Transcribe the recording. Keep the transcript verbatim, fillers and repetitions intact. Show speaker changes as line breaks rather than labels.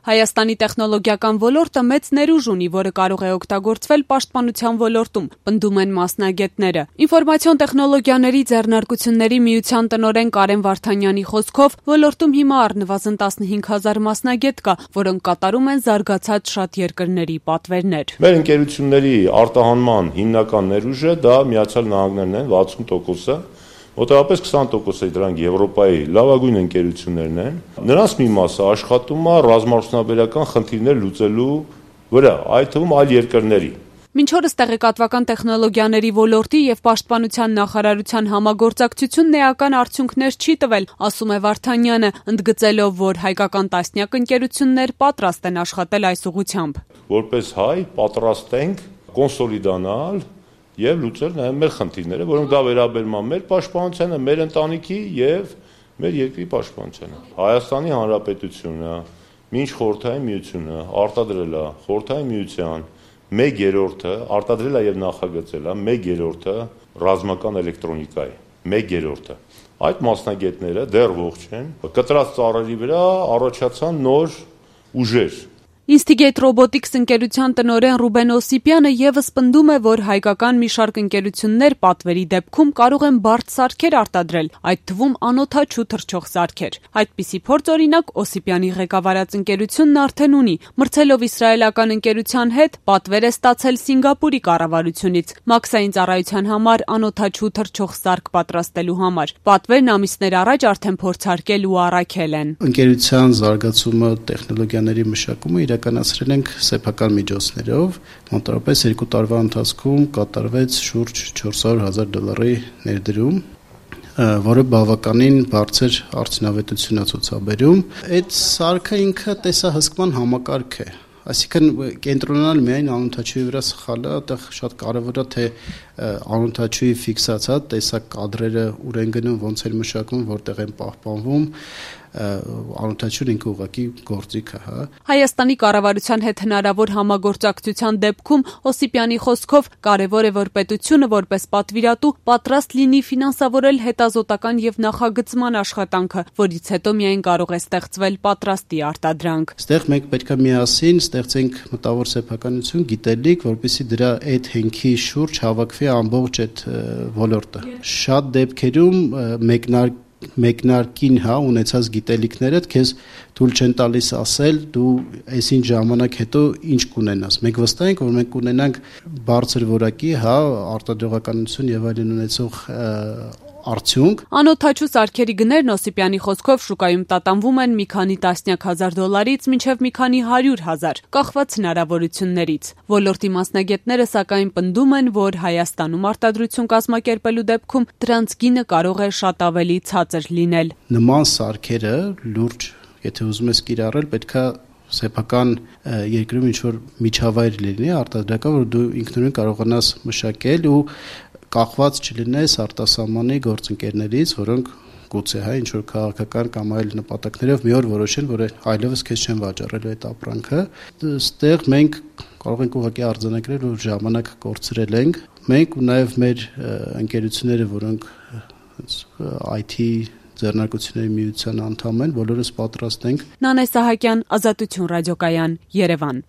Հայաստանի տեխնոլոգիական ոլորտը մեծ ներուժ ունի, որը կարող է օգտագործվել պաշտպանության ոլորտում, պնդում են մասնագետները։ Ինֆորմացիոն տեխնոլոգիաների ձեռնարկությունների միության տնօրեն Կարեն Վարդանյանի խոսքով, ոլորտում հիմա առնվազն տասնհինգ հազար մասնագետ կա, որոնք կատարում են զարգացած շատ երկրների պատվերներ։
Մեր ընկերությունների արտահանման հիմնական ներուժը դա Միացյալ Նահանգներն են, վաթսուն տոկոսը, մոտավորապես քսան տոկոս դրանք Եվրոպայի լավագույն ընկերություններն են։ Նրանց մի մասը աշխատում է ռազմաարդյունաբերական խնդիրներ լուծելու վրա, այդ թվում այլ երկրների։
Մինչ օրս տեղեկատվական տեխնոլոգիաների ոլորտի եւ պաշտպանության նախարարության համագործակցությունն էական արդյունքներ չի տվել, ասում է Վարդանյանը, ընդգծելով, որ հայկական տասնյակ ընկերություններ պատրաստ են աշխատել այս ուղղությամբ։
Որպես հայ պատրաստ ենք կոնսոլիդանալ եւ լուծել նաեւ մեր խնդիրները, որոնք դա վերաբերում է մեր պաշտպանությանը, մեր ընտանիքի եւ մեր երկրի պաշտպանությանը։ Հայաստանի Հանրապետությունը մինչ Խորհրդային Միությունը արտադրել է Խորհրդային Միության մեկ երրորդը, արտադրել է եւ նախագծել է մեկ երրորդը ռազմական էլեկտրոնիկայի, մեկ երրորդը։ Այդ մասնագետները դեռ ողջ են, կտրած ծառերի վրա առաջացան նոր ուժեր։
Instigate Robotics ընկերության տնօրեն Ռուբեն Օսիպյանը եւս պնդում է, որ հայկական մի շարք ընկերություններ պատվերի դեպքում կարող են բարդ սարքեր արտադրել, այդ թվում անօդաչու թռչող սարքեր։ Այդպիսի փորձ օրինակ Օսիպյանի ղեկավարած ընկերությունն արդեն ունի, մրցելով իսրայելական ընկերության հետ պատվեր է ստացել Սինգապուրի կառավարությունից մաքսային ծառայության համար անօդաչու թռչող սարք պատրաստելու համար։ Պատվերն ամիսներ առաջ արդեն փորձարկել ու առաքել են։
Ընկերության զարգացումը, տեխնոլոգիաների մշակումը իրականացրել ենք սեփական միջոցներով, մոտավորապես երկու տարվա ընթացքում կատարվեց շուրջ չորս հարյուր հազար դոլարի ներդրում, որը բավականին բարձր արդյունավետություն է ցուցաբերում։ Այդ սարքը ինքը տեսահսկման համակարգ է, այսինքն կենտրոնանալ միայն անօդաչուի վրա սխալը, այդտեղ շատ կարևոր է թե անօդաչուի ֆիքսացած տեսակ կադրերը ուր են գնում, ոնց են մշակվում, որտեղ են պահպանվում, անօդաչուն ինքը ուղղակի գործիք է, հա։
Հայաստանի կառավարության հետ հնարավոր համագործակցության դեպքում Օսիպյանի խոսքով կարևոր է, որ պետությունը որպես պատվիրատու պատրաստ լինի ֆինանսավորել հետազոտական եւ նախագծման աշխատանքը, որից հետո միայն կարող է ստեղծվել պատրաստի արտադրանք։
Այստեղ մենք պետք է միասին ստեղծենք մտավոր սեփականություն, գիտելիք, որպեսզի դրա այդ հենքի շուրջ հավաքվի ամբողջ այդ ոլորտը։ Շատ դեպքերում մեկնարկ մեկնարկին հա ունեցած գիտելիքներդ քեզ թույլ չեն տալիս ասել դու այսին ժամանակ հետո ինչ կունենաս։ Մենք վստահ ենք, որ մենք կունենանք բարձր որակի հա արտադրողականություն եւ այլն ունեցող արդյունք։
Անօդաչու սարքերի գներն Օսիպյանի խոսքով շուկայում տատանվում են մի քանի տասնյակ հազար դոլարից մինչև մի քանի հարյուր հազար, կախված հնարավորություններից։ Ոլորտի մասնագետները սակայն պնդում են, որ Հայաստանում արտադրություն կազմակերպելու դեպքում դրանց գինը կարող է շատ ավելի ցածր լինել։
Նման սարքերը լուրջ, եթե ուզում ես կիրառել, պետքա սեփական երկրում ինչ-որ միջավայր լինի արտադրական, որ դու ինքնուրույն կարողանաս մշակել ու կախված չլինես արտասահմանի գործընկերներից, որոնք գուցե հա ինչ որ քաղաքական կամ այլ նպատակներով մի օր որոշեն, որ այլևս քեզ չեն վաճառելու այդ ապրանքը։ Այստեղ մենք կարող ենք ուղղակի արձանագրել, որ ժամանակ կորցրել ենք։ Մենք ու նաև մեր ընկերությունները, որոնք այ թի ձեռնարկությունների միության անդամ են, բոլորս պատրաստ ենք։
Նանե Սահակյան, Ազատություն ռադիոկայան, Երևան։